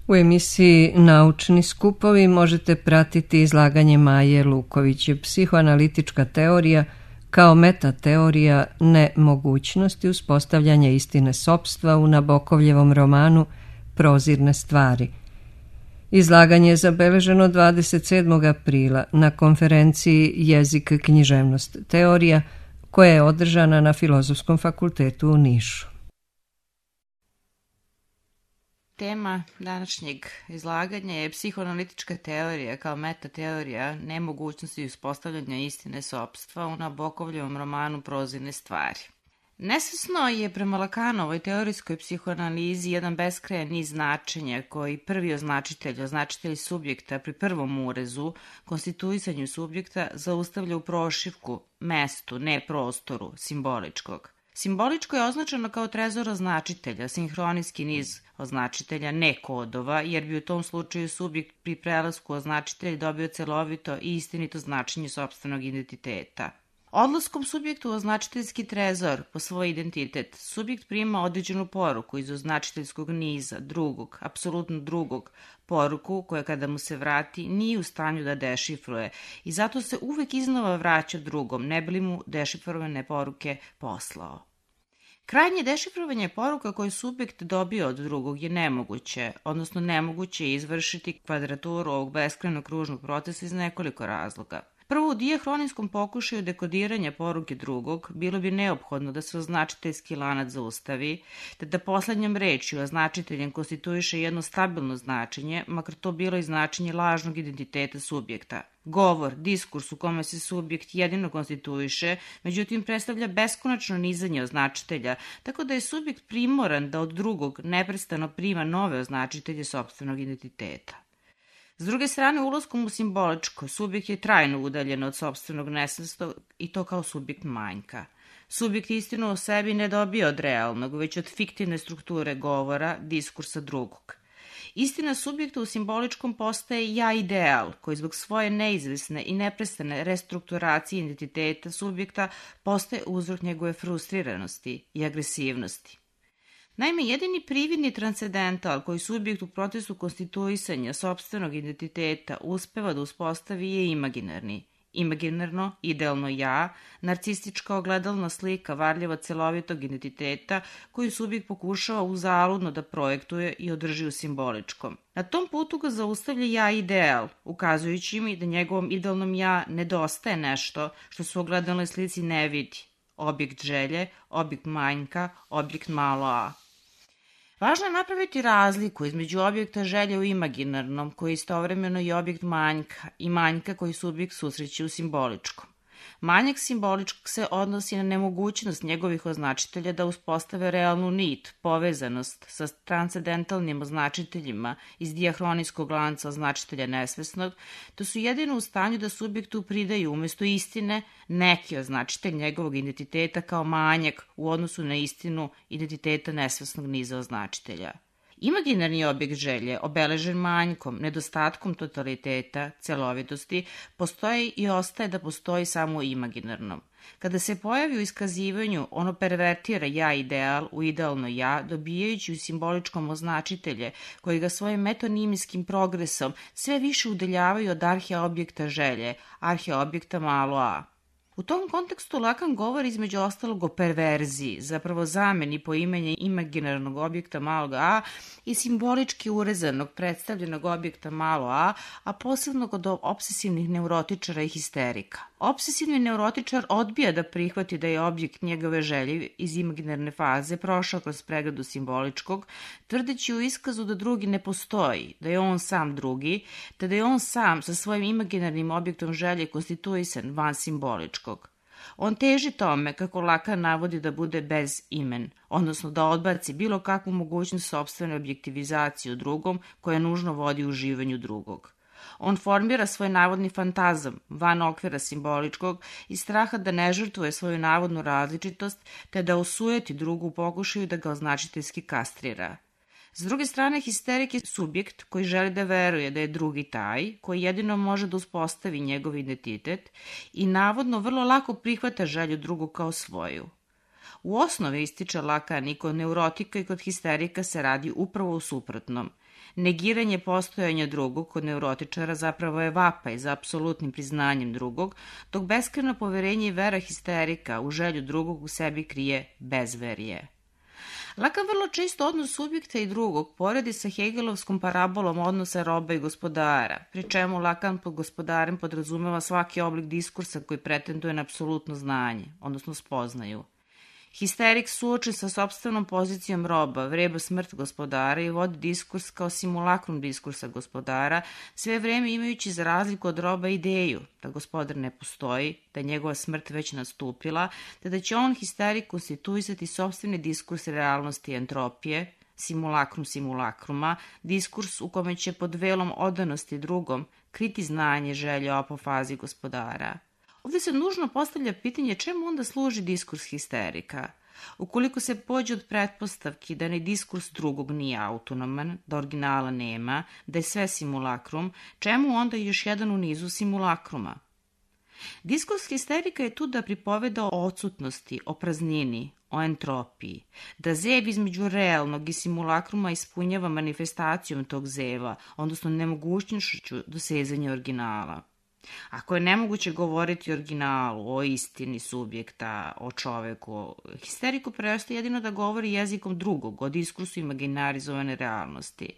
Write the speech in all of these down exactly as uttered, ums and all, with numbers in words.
U emisiji Naučni skupovi možete pratiti izlaganje Maje Luković, psihoanalitička teorija kao metateorija nemogućnosti uspostavljanja istine sopstva u Nabokovljevom romanu Prozirne stvari. Izlaganje je zabeleženo dvadeset sedmog aprila na konferenciji Jezik, književnost, teorija koja je održana na Filozofskom fakultetu u Nišu. Tema današnjeg izlaganja je psihoanalitička teorija kao metateorija nemogućnosti uspostavljanja istine sopstva u Nabokovljevom romanu Prozirne stvari. Nesvesno je prema Lakanovoj teorijskoj psihoanalizi jedan beskrajan niz značenja koji prvi označitelj, označitelj subjekta pri prvom urezu, konstituisanju subjekta, zaustavlja u prošivku, mestu, ne prostoru, simboličkog. Simboličko je označeno kao trezor označitelja, sinhronijski niz označitelja, ne kodova, jer bi u tom slučaju subjekt pri prelasku označitelja dobio celovito i istinito značenje sopstvenog identiteta. Odlaskom subjektu u označiteljski trezor po svoj identitet, subjekt prima određenu poruku iz označiteljskog niza, drugog, apsolutno drugog, poruku koja kada mu se vrati nije u stanju da dešifruje i zato se uvek iznova vraća drugom, ne bi li mu dešifrovane poruke poslao. Krajnje dešifrovanje poruka koje subjekt dobio od drugog je nemoguće, odnosno nemoguće je izvršiti kvadraturu ovog beskrajnog kružnog procesa iz nekoliko razloga. Prvo, u dijahronskom pokušaju dekodiranja poruke drugog bilo bi neophodno da se označiteljski lanac zaustavi, te da poslednjom rečju označiteljem konstituiše jedno stabilno značenje, makar to bilo i značenje lažnog identiteta subjekta. Govor, diskurs u kome se subjekt jedino konstituiše, međutim predstavlja beskonačno nizanje označitelja, tako da je subjekt primoran da od drugog neprestano prima nove označitelje sopstvenog identiteta. S druge strane, ulaskom u simboličko, subjekt je trajno udaljen od sopstvenog nesvestog i to kao subjekt manjka. Subjekt istinu o sebi ne dobija od realnog, već od fiktivne strukture govora, diskursa drugog. Istina subjekta u simboličkom postaje ja ideal, koji zbog svoje neizvesne i neprestane restrukturacije identiteta subjekta postaje uzrok njegove frustriranosti i agresivnosti. Naime, jedini prividni transcendental koji subjekt u procesu konstituisanja sopstvenog identiteta uspeva da uspostavi je imaginarni. Imaginarno, idealno ja, narcistička ogledalna slika varljiva celovitog identiteta koju subjekt pokušava uzaludno da projektuje i održi u simboličkom. Na tom putu ga zaustavlja ja ideal, ukazujući mi da njegovom idealnom ja nedostaje nešto što se u ogledalnoj slici ne vidi. Objekt želje, objekt manjka, objekt malo a. Važno je napraviti razliku između objekta želje u imaginarnom, koji je istovremeno i objekt manjka, i manjka koji subjekt susreće u simboličkom. Manjak simboličkog se odnosi na nemogućnost njegovih označitelja da uspostave realnu nit, povezanost sa transcendentalnim označiteljima iz dijahronijskog lanca označitelja nesvesnog, to su jedino u stanju da subjektu pridaju umesto istine neki označitelj njegovog identiteta kao manjak u odnosu na istinu identiteta nesvesnog niza označitelja. Imaginarni objekt želje, obeležen manjkom, nedostatkom totaliteta, celovitosti, postoji i ostaje da postoji samo u imaginarnom. Kada se pojavi u iskazivanju, ono pervertira ja ideal u idealno ja, dobijajući u simboličkom označitelje, koji ga svojim metonimijskim progresom sve više udaljavaju od arheobjekta želje, arheobjekta malo a. U tom kontekstu Lakan govori između ostalog o perverziji, zapravo zameni poimenja imaginarnog objekta malog a i simbolički urezanog predstavljenog objekta malo a, a posebno kod obsesivnih neurotičara i histerika. Obsesivni neurotičar odbija da prihvati da je objekt njegove želje iz imaginarne faze prošao kroz pregradu simboličkog, tvrdeći u iskazu da drugi ne postoji, da je on sam drugi, te da je on sam sa svojim imaginarnim objektom želje konstituisan van simboličkog. On teži tome, kako Lakan navodi, da bude bez imen, odnosno da odbaci bilo kakvu mogućnost sopstvene objektivizacije u drugom koja nužno vodi u uživanju drugog. On formira svoj navodni fantazam van okvira simboličkog iz straha da ne žrtvuje svoju navodnu različitost te da osujeti drugu u pokušaju da ga označiteljski kastrira. S druge strane, histerik je subjekt koji želi da veruje da je drugi taj, koji jedino može da uspostavi njegov identitet i navodno vrlo lako prihvata želju drugog kao svoju. U osnovi, ističe Lacan, i kod neurotika i kod histerika se radi upravo u suprotnom. Negiranje postojanja drugog kod neurotičara zapravo je vapaj za apsolutnim priznanjem drugog, dok beskrajno poverenje i vera histerika u želju drugog u sebi krije bezverje. Lacan vrlo često odnos subjekta i drugog poredi sa Hegelovskom parabolom odnosa roba i gospodara, pri čemu Lacan pod gospodarem podrazumeva svaki oblik diskursa koji pretenduje na apsolutno znanje, odnosno spoznaju. Histerik suočen sa sopstvenom pozicijom roba vreba smrt gospodara i vodi diskurs kao simulakrum diskursa gospodara, sve vreme imajući za razliku od roba ideju da gospodar ne postoji, da je njegova smrt već nastupila, te da će on, histerik, konstituisati sopstveni diskurs realnosti i entropije, simulakrum simulakruma, diskurs u kome će pod velom odanosti drugom kriti znanje, želje o apofazi gospodara. Ovdje se nužno postavlja pitanje čemu onda služi diskurs histerika. Ukoliko se pođe od pretpostavki da ni diskurs drugog nije autonoman, da originala nema, da je sve simulakrum, čemu onda još jedan u nizu simulakruma? Diskurs histerika je tu da pripoveda o odsutnosti, o praznini, o entropiji, da zev između realnog i simulakruma ispunjava manifestacijom tog zeva, odnosno nemogućnošću dosezanja originala. Ako je nemoguće govoriti o originalu, o istini subjekta, o čoveku, histeriku preostaje jedino da govori jezikom drugog, o diskursu imaginarizovane realnosti.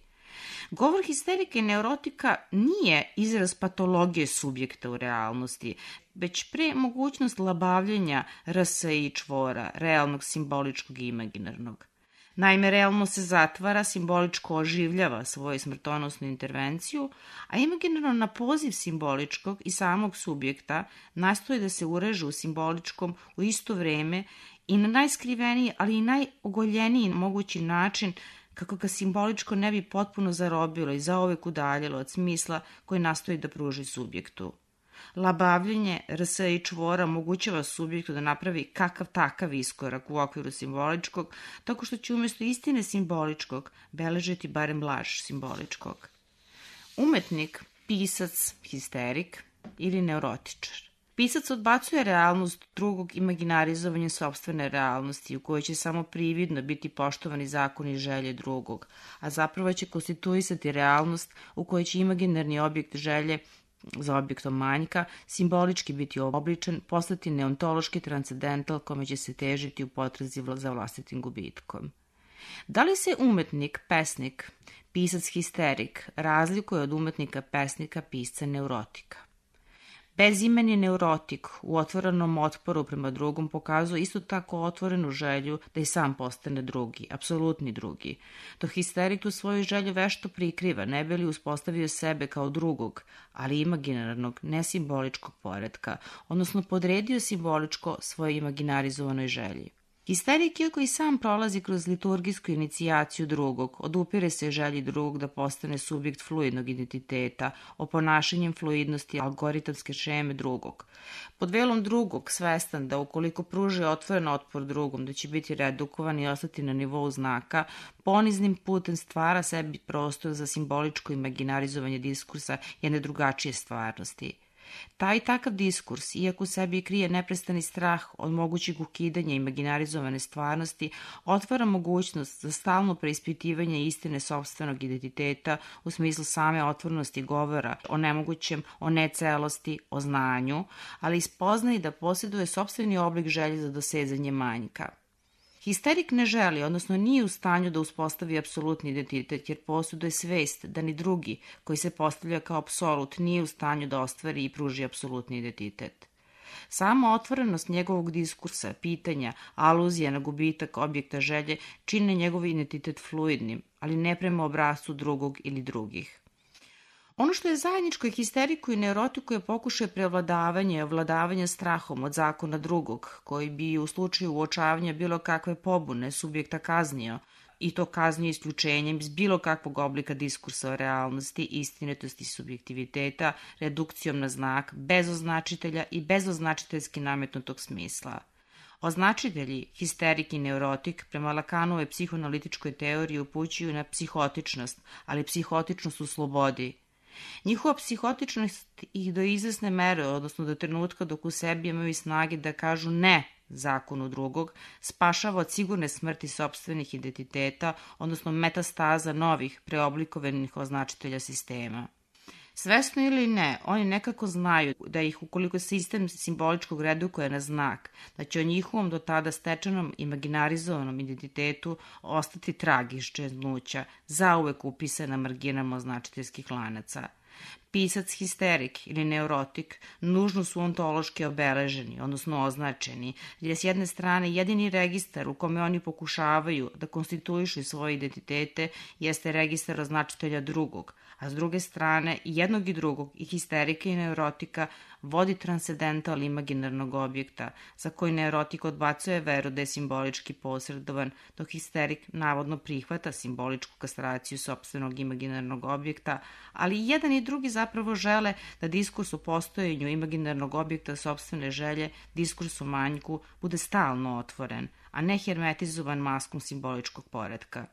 Govor histerika i neurotika nije izraz patologije subjekta u realnosti, već pre mogućnost labavljenja rsa i čvora, realnog, simboličkog i imaginarnog. Naime, realno se zatvara, simboličko oživljava svoju smrtonosnu intervenciju, a imaginarno na poziv simboličkog i samog subjekta nastoji da se ureže u simboličkom u isto vreme i na najskriveniji, ali i najogoljeniji mogući način kako ga simboličko ne bi potpuno zarobilo i zauvek udaljilo od smisla koji nastoji da pruži subjektu. Labavljenje rsa i čvora omogućava subjektu da napravi kakav takav iskorak u okviru simboličkog, tako što će umjesto istine simboličkog beležiti barem laž simboličkog. Umetnik, pisac, histerik ili neurotičar. Pisac odbacuje realnost drugog imaginarizovanjem sopstvene realnosti u kojoj će samo prividno biti poštovani zakoni i želje drugog, a zapravo će konstituisati realnost u kojoj će imaginarni objekt želje za objektom manjka simbolički biti obličen, postati neontološki transcendental kome će se težiti u potrazi za vlastitim gubitkom. Da li se umetnik, pesnik, pisac histerik razlikuje od umetnika, pesnika, pisca neurotika? Bezimeni neurotik u otvorenom otporu prema drugom pokazuje isto tako otvorenu želju da i sam postane drugi, apsolutni drugi. To histerik tu svoju želju vešto prikriva, ne bi li uspostavio sebe kao drugog, ali imaginarnog, nesimboličkog poretka, odnosno podredio simboličko svoje imaginarizovanoj želji. Histerik, iako i sam prolazi kroz liturgijsku inicijaciju drugog, odupire se želji drugog da postane subjekt fluidnog identiteta, oponašanjem fluidnosti algoritamske šeme drugog. Pod velom drugog, svestan da ukoliko pruži otvoren otpor drugom, da će biti redukovan i ostati na nivou znaka, poniznim putem stvara sebi prostor za simboličko imaginarizovanje diskursa jedne drugačije stvarnosti. Taj takav diskurs, iako u sebi krije neprestani strah od mogućeg ukidanja imaginarizovane stvarnosti, otvara mogućnost za stalno preispitivanje istine sopstvenog identiteta u smislu same otvorenosti govora o nemogućem, o necelosti, o znanju, ali spoznaje da posjeduje sopstveni oblik želje za dosezanje manjka. Histerik ne želi, odnosno nije u stanju da uspostavi apsolutni identitet, jer posjeduje svest da ni drugi, koji se postavlja kao apsolut, nije u stanju da ostvari i pruži apsolutni identitet. Sama otvorenost njegovog diskursa, pitanja, aluzija na gubitak objekta želje čine njegov identitet fluidnim, ali ne prema obrascu drugog ili drugih. Ono što je zajedničko histeriku i neurotiku je pokušaj prevladavanja i ovladavanja strahom od zakona drugog, koji bi u slučaju uočavanja bilo kakve pobune subjekta kaznio, i to kaznio isključenjem iz bilo kakvog oblika diskursa o realnosti, istinitosti subjektiviteta, redukcijom na znak, bez označitelja i bez označiteljski nametnutog smisla. Označitelji, histerik i neurotik, prema Lacanovoj psihoanalitičkoj teoriji upućuju na psihotičnost, ali psihotičnost u slobodi. Njihova psihotičnost ih do izvesne mere, odnosno do trenutka dok u sebi imaju snage da kažu ne zakonu drugog, spašava od sigurne smrti sopstvenih identiteta, odnosno metastaza novih preoblikovanih označitelja sistema. Svesno ili ne, oni nekako znaju da ih, ukoliko sistem simboličkog redukuje na znak, da će o njihovom do tada stečenom imaginarizovanom identitetu ostati trag iz čeznuća, zauvek upisan na marginama označiteljskih lanaca. Pisac histerik ili neurotik nužno su ontološki obeleženi, odnosno označeni, jer je s jedne strane jedini registar u kome oni pokušavaju da konstituišu svoje identitete jeste registar označitelja drugog, a s druge strane i jednog i drugog, i histerika i neurotika, vodi transcendental imaginarnog objekta, za koji neurotik odbacuje veru da je simbolički posredovan, dok histerik navodno prihvata simboličku kastraciju sopstvenog imaginarnog objekta, ali i jedan i drugi zapravo žele da diskurs o postojanju imaginarnog objekta sopstvene želje, diskurs o manjku, bude stalno otvoren, a ne hermetizovan maskom simboličkog poretka.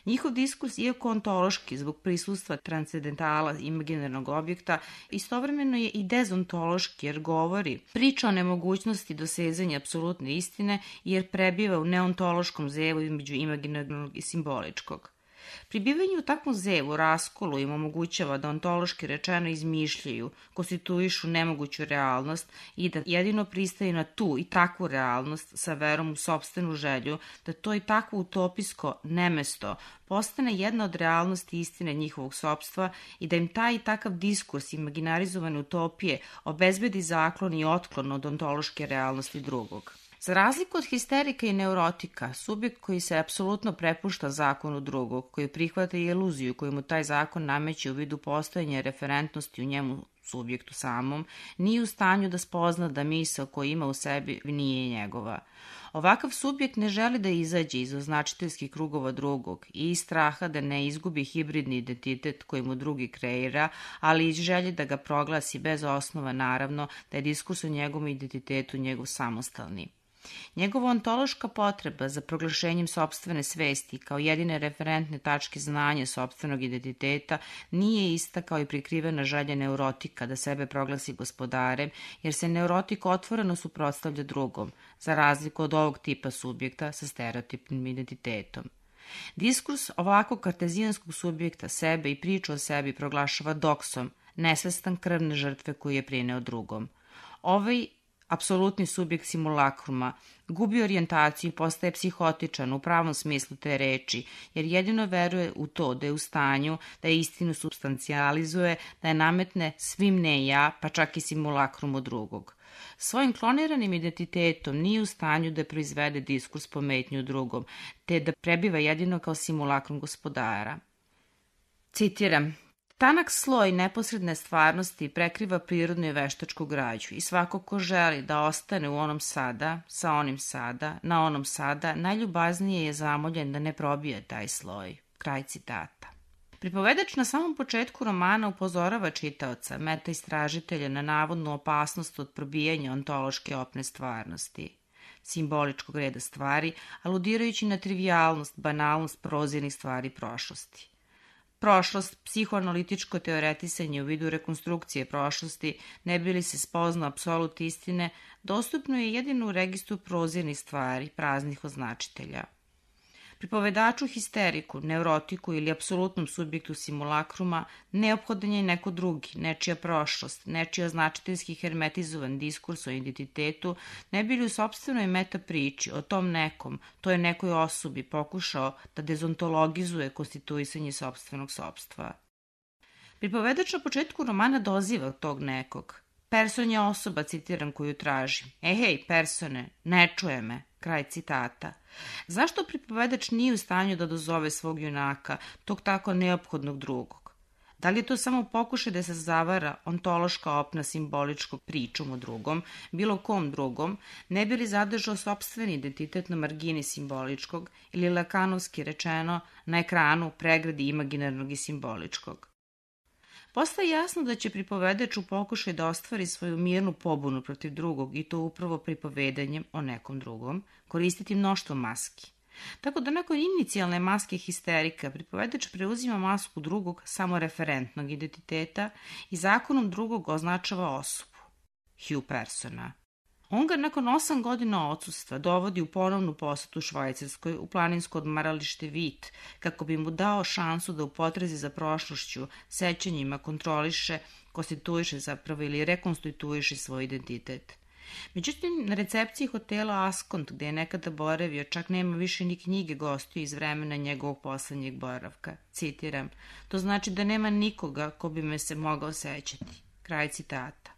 Njihov diskurs, iako ontološki zbog prisustva transcendentala imaginarnog objekta, istovremeno je i dezontološki jer govori, priča o nemogućnosti dosezanja apsolutne istine jer prebiva u neontološkom zevu između imaginarnog i simboličkog. Pribivanje u takvom zevu, raskolu im omogućava da ontološki rečeno izmišljaju, konstituišu nemoguću realnost i da jedino pristaju na tu i takvu realnost sa verom u sopstvenu želju, da to i takvo utopijsko nemesto postane jedna od realnosti istine njihovog sopstva i da im taj i takav diskurs imaginarizovane utopije obezbedi zaklon i otklon od ontološke realnosti drugog. Za razliku od histerika i neurotika, subjekt koji se apsolutno prepušta zakonu drugog, koji prihvata i iluziju koju mu taj zakon nameće u vidu postojanja referentnosti u njemu subjektu samom, nije u stanju da spozna da misao koju ima u sebi nije njegova. Ovakav subjekt ne želi da izađe iz označiteljskih krugova drugog i iz straha da ne izgubi hibridni identitet koji mu drugi kreira, ali iz želje da ga proglasi bez osnova, naravno, da je diskurs o njegovom identitetu njegov samostalni. Njegova ontološka potreba za proglašenjem sopstvene svesti kao jedine referentne tačke znanja sopstvenog identiteta nije ista kao i prikrivena želja neurotika da sebe proglasi gospodarem, jer se neurotik otvoreno suprotstavlja drugom, za razliku od ovog tipa subjekta sa stereotipnim identitetom. Diskurs ovakvog kartezijanskog subjekta sebe i priču o sebi proglašava doksom, nesvestan krvne žrtve koju je prineo drugom. Ovaj apsolutni subjekt simulakruma gubi orijentaciju i postaje psihotičan u pravom smislu te reči, jer jedino veruje u to da je u stanju da je istinu substancijalizuje, da je nametne svim ne ja, pa čak i simulakrumu drugog. Svojim kloniranim identitetom nije u stanju da proizvede diskurs pometnju drugom, te da prebiva jedino kao simulakrum gospodara. Citiram: tanak sloj neposredne stvarnosti prekriva prirodnu i veštačku građu i svako ko želi da ostane u onom sada, sa onim sada, na onom sada, najljubaznije je zamoljen da ne probije taj sloj. Kraj citata. Pripovedač na samom početku romana upozorava čitaoca, meta istražitelja, na navodnu opasnost od probijanja ontološke opne stvarnosti, simboličkog reda stvari, aludirajući na trivijalnost, banalnost prozirnih stvari prošlosti. Prošlost, psihoanalitičko teoretisanje u vidu rekonstrukcije prošlosti, ne bi li se spoznao apsolut istine, dostupno je jedino u registru prozirnih stvari, praznih označitelja. Pripovedaču histeriku, neurotiku ili apsolutnom subjektu simulakruma neophodan je neko drugi, nečija prošlost, nečiji označiteljski hermetizovan diskurs o identitetu, ne bi li u sopstvenoj meta priči o tom nekom, to je nekoj osobi pokušao da dezontologizuje konstituisanje sopstvenog sopstva. Pripovedač na početku romana doziva tog nekog. Person je osoba, citiram, koju traži. E hej, persone, ne čuje me. Kraj citata. Zašto pripovedač nije u stanju da dozove svog junaka, tog tako neophodnog drugog? Da li je to samo pokušaj da se zavara ontološka opna simboličkog pričom o drugom, bilo kom drugom, ne bi li zadržao sopstveni identitet na margini simboličkog ili lakanovski rečeno na ekranu pregradi imaginarnog i simboličkog? Postaje jasno da će pripovedač u pokušaj da ostvari svoju mirnu pobunu protiv drugog i to upravo pripovedanjem o nekom drugom, koristiti mnoštvo maski. Tako da nakon inicijalne maske histerika pripovedač preuzima masku drugog samoreferentnog identiteta i zakonom drugog označava osobu, hue persona. On ga nakon osam godina odsustva dovodi u ponovnu posetu Švajcarskoj u planinsko odmaralište Vit, kako bi mu dao šansu da u potrazi za prošlošću, sećanjima kontroliše, konstituiše zapravo ili rekonstituiše svoj identitet. Međutim, na recepciji hotela Askont, gde je nekada boravio, čak nema više ni knjige gostiju iz vremena njegovog poslednjeg boravka. Citiram, to znači da nema nikoga ko bi me se mogao sećati. Kraj citata.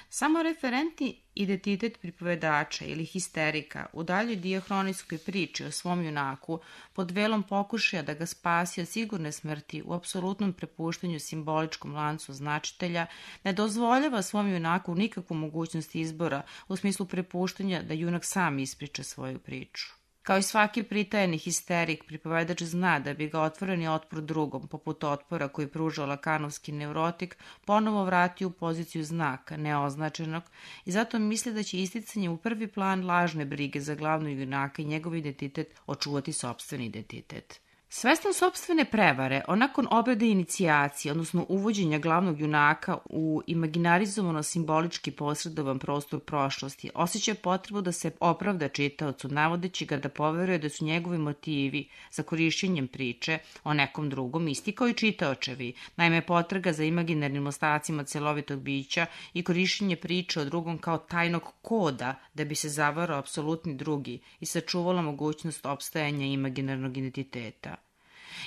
Samo referentni identitet pripovedača ili histerika u daljoj diahronijskoj priči o svom junaku pod velom pokušaja da ga spasi od sigurne smrti u apsolutnom prepuštanju simboličkom lancu značitelja ne dozvoljava svom junaku nikakvu mogućnost izbora u smislu prepuštanja da junak sam ispriča svoju priču. Kao i svaki pritajeni histerik, pripovedač zna da bi ga otvoreni otpor drugom, poput otpora koji pružao lakanovski neurotik, ponovo vratio u poziciju znaka, neoznačenog, i zato misli da će isticanje u prvi plan lažne brige za glavnog junaka i njegov identitet očuvati sopstveni identitet. Svestan sopstvene prevare, on nakon obrade inicijacije, odnosno uvođenja glavnog junaka u imaginarizovano simbolički posredovan prostor prošlosti, osjeća potrebu da se opravda čitaocu, navodeći ga da poveruje da su njegovi motivi za korišćenjem priče o nekom drugom isti kao i čitaočevi, naime potraga za imaginarnim ostacima celovitog bića i korišćenje priče o drugom kao tajnog koda da bi se zavarao apsolutni drugi i sačuvala mogućnost opstajanja imaginarnog identiteta.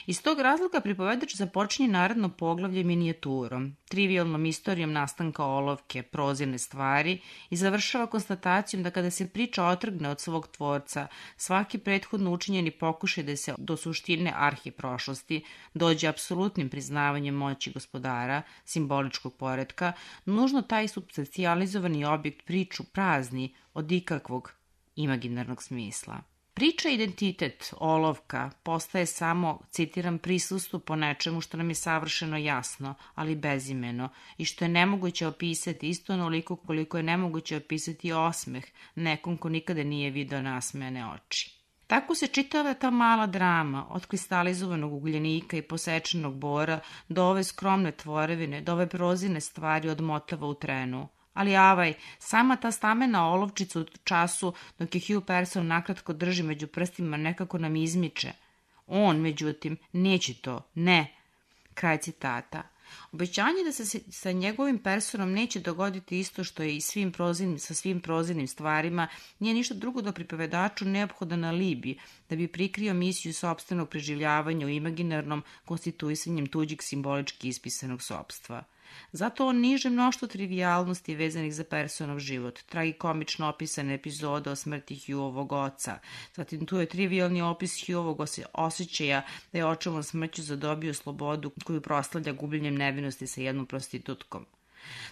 Iz tog razloga pripovedač započinje naredno poglavlje minijaturom, trivijalnom istorijom nastanka olovke, prozirne stvari i završava konstatacijom da kada se priča otrgne od svog tvorca, svaki prethodno učinjeni pokušaj da se do suštine arhi prošlosti dođe apsolutnim priznavanjem moći gospodara, simboličkog poretka, nužno taj substancijalizovani objekt priču prazni od ikakvog imaginarnog smisla. Priča identitet, olovka, postaje samo, citiram, prisustvo po nečemu što nam je savršeno jasno, ali bezimeno, i što je nemoguće opisati isto onoliko koliko je nemoguće opisati osmeh nekom ko nikada nije video nasmejane oči. Tako se čitava ta mala drama, od kristalizovanog ugljenika i posečenog bora do ove skromne tvorevine, do ove prozirne stvari odmotava u trenu. Ali avaj, sama ta stamena olovčica u času dok je Hugh Person nakratko drži među prstima nekako nam izmiče. On, međutim, neće to, ne. Kraj citata. Obećanje da se sa njegovim Personom neće dogoditi isto što je i svim prozirnim, sa svim prozirnim stvarima nije ništa drugo da pripovedaču neophodan alibi da bi prikrio misiju sopstvenog preživljavanja u imaginarnom konstituisanjem tuđeg simbolički ispisanog sopstva. Zato on niže mnoštvo trivijalnosti vezanih za Personov život, tragikomično opisane epizode o smrti Hughovog oca, zatim tu je trivialni opis Hughovog osjećaja da je očevom smrću zadobio slobodu koju proslavlja gubljenjem nevinosti sa jednom prostitutkom.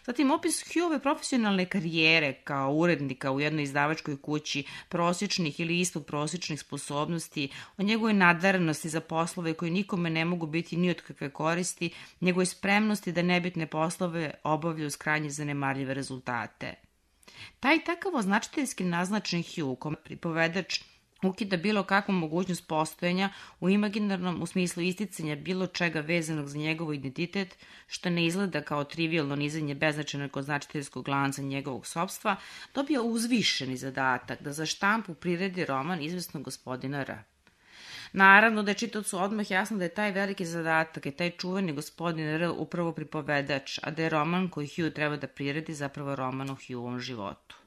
Zatim opis Hughove profesionalne karijere kao urednika u jednoj izdavačkoj kući, prosječnih ili ispod prosječnih sposobnosti, o njegovoj nadarenosti za poslove koji nikome ne mogu biti ni od kakve koristi, njegovoj spremnosti da nebitne poslove obavlja uz krajnje zanemarljive rezultate. Taj takav označiteljski naznačen Hugh, kome pripovedač ukida bilo kakvu mogućnost postojanja u imaginarnom u smislu isticanja bilo čega vezanog za njegov identitet, što ne izgleda kao trivialno nizanje beznačajnog označiteljskog lanca njegovog sopstva, dobija uzvišeni zadatak da za štampu priredi roman izvesnog gospodina R. Naravno da je čitaocu odmah jasno da je taj veliki zadatak i taj čuveni gospodin R upravo pripovedač, a da je roman koji Hugh treba da priredi zapravo roman o Hughovom životu.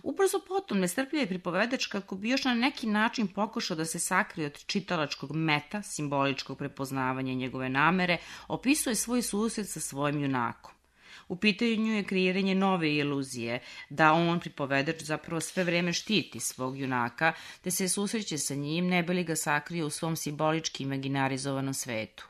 Ubrzo potom nestrpljiv pripovedač kako bi još na neki način pokušao da se sakrije od čitalačkog meta, simboličkog prepoznavanja njegove namere, opisuje svoj susret sa svojim junakom. U pitanju je kreiranje nove iluzije, da on, pripovedač, zapravo sve vreme štiti svog junaka, te se susreće sa njim, ne bi li ga sakrije u svom simbolički imaginarizovanom svetu.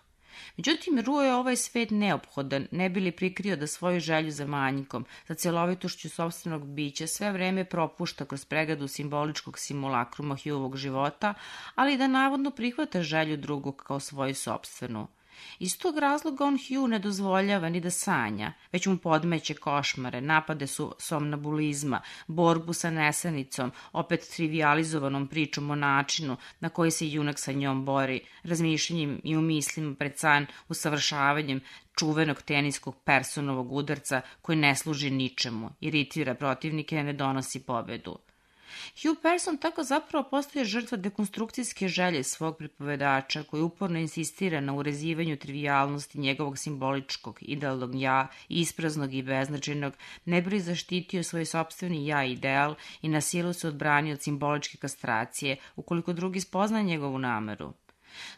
Međutim, Ruo je ovaj svet neophodan, ne bi li prikrio da svoju želju za manjkom, za celovitošću sopstvenog bića sve vreme propušta kroz pregradu simboličkog simulakruma Hughovog života, ali da navodno prihvata želju drugog kao svoju sopstvenu. Iz tog razloga on Hugh ne dozvoljava ni da sanja, već mu podmeće košmare, napade su somnambulizma, borbu sa nesanicom, opet trivializovanom pričom o načinu na koji se junak sa njom bori, razmišljanjem i umislima pred san, usavršavanjem čuvenog teniskog Personovog udarca koji ne služi ničemu, iritira protivnike i ne donosi pobedu. Hugh Person tako zapravo postaje žrtva dekonstrukcijske želje svog pripovedača koji uporno insistira na urezivanju trivijalnosti njegovog simboličkog, idealnog ja, ispraznog i beznačajnog, ne bi li zaštitio svoj sopstveni ja ideal i na silu se odbranio od simboličke kastracije ukoliko drugi spozna njegovu nameru.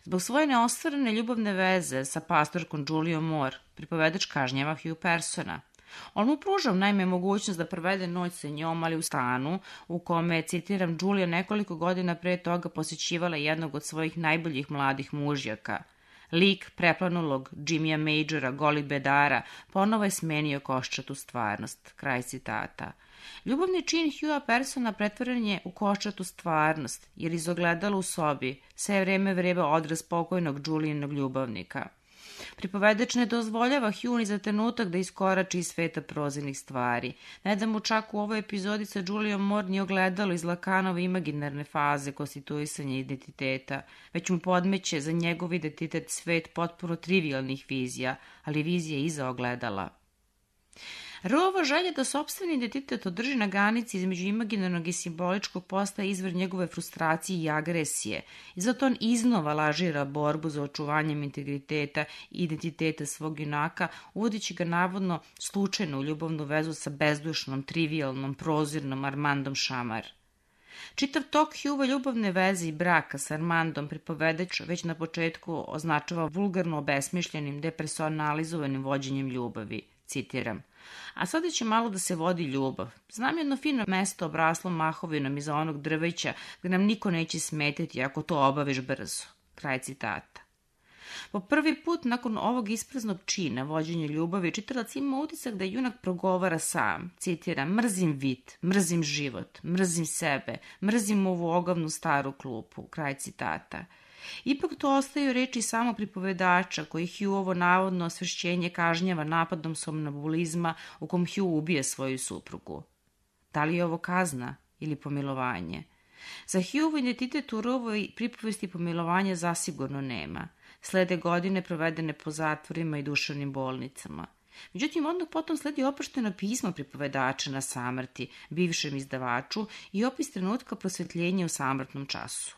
Zbog svoje neostvarene ljubavne veze sa pastorkom Julijom Moore, pripovedač kažnjava Hugh Persona. On mu pruža naime mogućnost da provede noć sa njom, ali u stanu u kome je, citiram, Julia nekoliko godina pre toga posjećivala jednog od svojih najboljih mladih mužjaka. Lik preplanulog Jimmya Majora, goli bedara, ponovo je smenio koščatu stvarnost. Kraj citata. Ljubavni čin Hugha Persona pretvoren je u koščatu stvarnost, jer iz ogledala u sobi sve vreme vreba odraz pokojnog Julijinog ljubavnika. Pripovedač ne dozvoljava Hugh ni za trenutak da iskorači iz sveta prozirnih stvari. Ne da mu čak u ovoj epizodi sa Julijom Moore ni ogledalo iz Lacanove imaginarne faze konstituisanja identiteta, već mu podmeće za njegov identitet svet potpuno trivialnih vizija, ali vizije iza ogledala. Roova želja da sopstveni identitet održi na granici između imaginarnog i simboličkog postaje izvor njegove frustracije i agresije i zato on iznova lažira borbu za očuvanjem integriteta i identiteta svog junaka, uvodići ga navodno slučajno u ljubavnu vezu sa bezdušnom, trivialnom, prozirnom Armandom Šamar. Čitav tok Hughove ljubavne veze i braka sa Armandom pripovedač već na početku označava vulgarno obesmišljenim, depersonalizovanim vođenjem ljubavi. Citiram. A sada će malo da se vodi ljubav. Znam jedno fino mesto obraslo mahovinom iza onog drveća gde nam niko neće smetiti ako to obaviš brzo. Kraj citata. Po prvi put nakon ovog ispraznog čina vođenja ljubavi čitalac ima utisak da junak progovara sam. Citiram, mrzim vit, mrzim život, mrzim sebe, mrzim ovu ogavnu staru klupu. Kraj citata. Ipak to ostaju reči samo pripovedača koji Hughovo navodno osvešćenje kažnjava napadom somnambulizma u kom Hugh ubije svoju suprugu. Da li je ovo kazna ili pomilovanje? Za Hughovo identitet u ovoj pripovesti pomilovanja zasigurno nema. Slede godine provedene po zatvorima i duševnim bolnicama. Međutim, odmah potom sledi oprošteno pismo pripovedača na samrti, bivšem izdavaču i opis trenutka prosvetljenja u samrtnom času.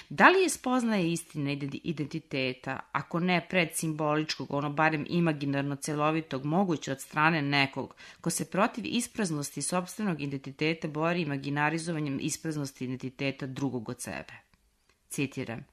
Da li je spoznaje istine identiteta, ako ne predsimboličkog, ono barem imaginarno celovitog, moguće od strane nekog ko se protiv ispraznosti sopstvenog identiteta bori imaginarizovanjem ispraznosti identiteta drugog od sebe? Citiram.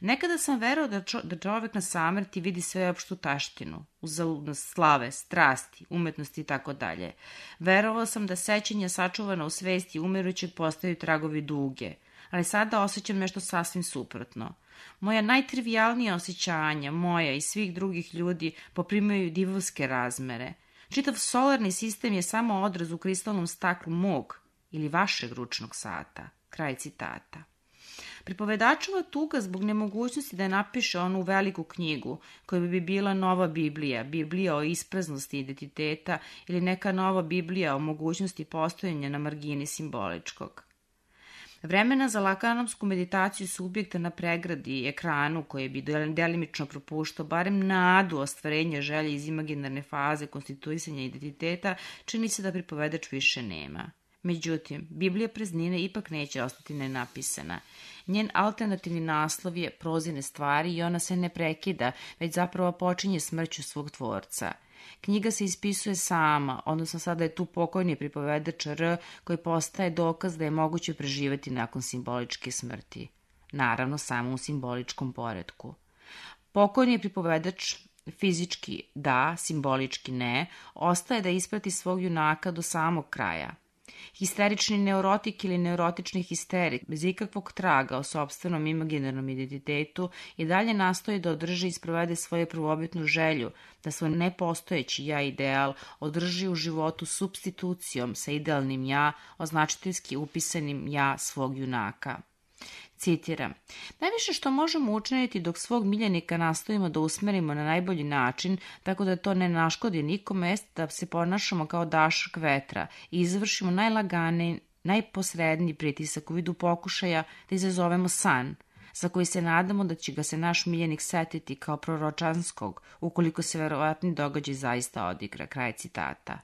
Nekada sam verao da, čo, da čovek na samrti vidi sveopštu taštinu, uzaludnost slave, strasti, umetnosti i tako dalje. Verovao sam da sećanja sačuvana u svesti umirućeg postaju tragovi duge, ali sada osjećam nešto sasvim suprotno. Moja najtrivijalnija osjećanja, moja i svih drugih ljudi, poprimaju divovske razmere. Čitav solarni sistem je samo odraz u kristalnom staklu mog ili vašeg ručnog sata. Kraj citata. Pripovedačova tuga zbog nemogućnosti da napiše onu veliku knjigu koja bi bila nova Biblija, Biblija o ispraznosti identiteta ili neka nova Biblija o mogućnosti postojanja na margini simboličkog. Vremena za lakanovsku meditaciju subjekta na pregradi i ekranu koje bi delimično propuštao barem nadu ostvarenja želje iz imaginarne faze konstituisanja identiteta čini se da pripovedač više nema. Međutim, Biblija praznine ipak neće ostati nenapisana. Njen alternativni naslov je Prozirne stvari i ona se ne prekida, već zapravo počinje smrću svog tvorca. Knjiga se ispisuje sama, odnosno sada je tu pokojni pripovedač R koji postaje dokaz da je moguće preživeti nakon simboličke smrti. Naravno, samo u simboličkom poretku. Pokojni pripovedač fizički da, simbolički ne, ostaje da isprati svog junaka do samog kraja. Histerični neurotik ili neurotični histerik, bez ikakvog traga o sopstvenom imaginarnom identitetu, i dalje nastoji da održi i sprovede svoju prvobitnu želju, da svoj nepostojeći ja ideal održi u životu supstitucijom sa idealnim ja, označiteljski upisanim ja svog junaka. Citiram, najviše što možemo učiniti dok svog miljenika nastojimo da usmerimo na najbolji način, tako da to ne naškodi nikome, jest da se ponašamo kao dašak vetra i izvršimo najlaganiji, najposredniji pritisak u vidu pokušaja da izazovemo san, za koji se nadamo da će ga se naš miljenik setiti kao proročanskog, ukoliko se verovatni događaj zaista odigra. Kraj citata.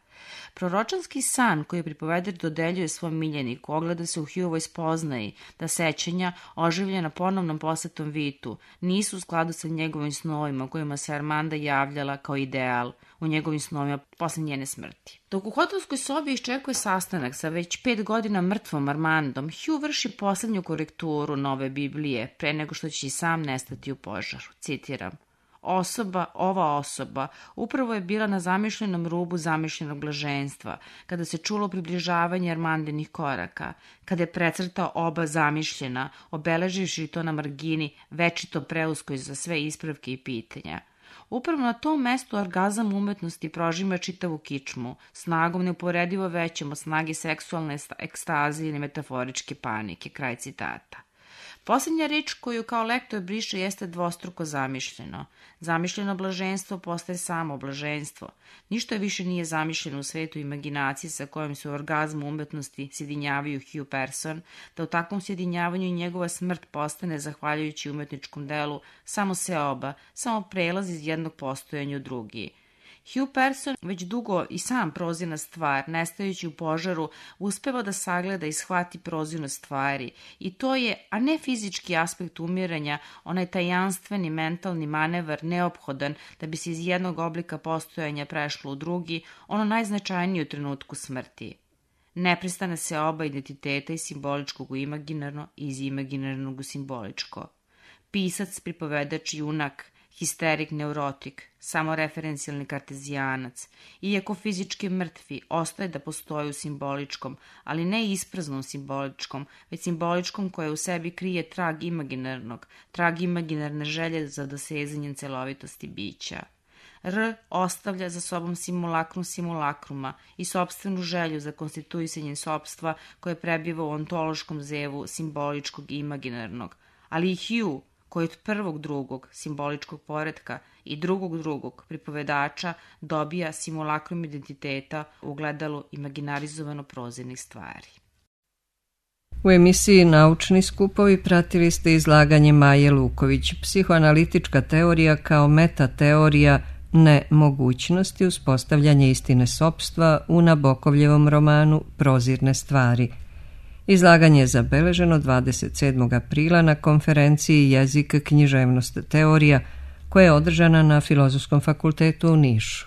Proročanski san koji pripoveder dodeljuje svom miljeniku ogleda se u Hughevoj spoznaji da sećanja, oživljena ponovnom posetom Vitu, nisu u skladu sa njegovim snovima kojima se Armanda javljala kao ideal u njegovim snovima posle njene smrti. Dok u hotelskoj sobi iščekuje sastanak sa već pet godina mrtvom Armandom, Hugh vrši poslednju korekturu nove Biblije pre nego što će i sam nestati u požaru. Citiram, Osoba, ova osoba, upravo je bila na zamišljenom rubu zamišljenog blaženstva, kada se čulo približavanje Armandinih koraka, kada je precrtao oba zamišljena, obeleživši to na margini, večito preuskoj za sve ispravke i pitanja. Upravo na tom mestu orgazam umetnosti prožima čitavu kičmu, snagom neuporedivo većom od snage seksualne ekstaze ili metaforičke panike. Kraj citata. Posljednja reč koju kao lektor briše jeste dvostruko zamišljeno. Zamišljeno blaženstvo postaje samo blaženstvo. Ništa više nije zamišljeno u svetu imaginacije sa kojom se u orgazmu umetnosti sjedinjavaju Hugh Person, da u takvom sjedinjavanju njegova smrt postane, zahvaljujući umetničkom delu, samo seoba, samo prelaz iz jednog postojanja u drugi. Hugh Person, već dugo i sam prozirna stvar, nestajući u požaru, uspeva da sagleda i shvati prozirnost stvari. I to je, a ne fizički aspekt umiranja, onaj tajanstveni mentalni manevar neophodan da bi se iz jednog oblika postojanja prešlo u drugi, ono najznačajnije u trenutku smrti. Neprestane se oba identiteta iz simboličkog u imaginarno i iz imaginarnog u simboličko. Pisac, pripovedač, junak, histerik, neurotik, samoreferencijalni kartezijanac, iako fizički mrtvi, ostaje da postoji u simboličkom, ali ne ispraznom simboličkom, već simboličkom koje u sebi krije trag imaginarnog, trag imaginarne želje za dosezanjem celovitosti bića. R ostavlja za sobom simulakrum simulakruma i sopstvenu želju za konstituisanjem sopstva koje prebiva u ontološkom zevu simboličkog i imaginarnog, ali i Hugh, koji od prvog drugog simboličkog poretka i drugog drugog pripovedača dobija simulakrum identiteta u gledalu imaginarizovano prozirnih stvari. U emisiji Naučni skupovi pratili ste izlaganje Maje Luković, psihoanalitička teorija kao metateorija nemogućnosti uspostavljanja istine sopstva u Nabokovljevom romanu Prozirne stvari. Izlaganje je zabeleženo dvadeset sedmog aprila na konferenciji Jezik, književnost, teorija koja je održana na Filozofskom fakultetu u Nišu.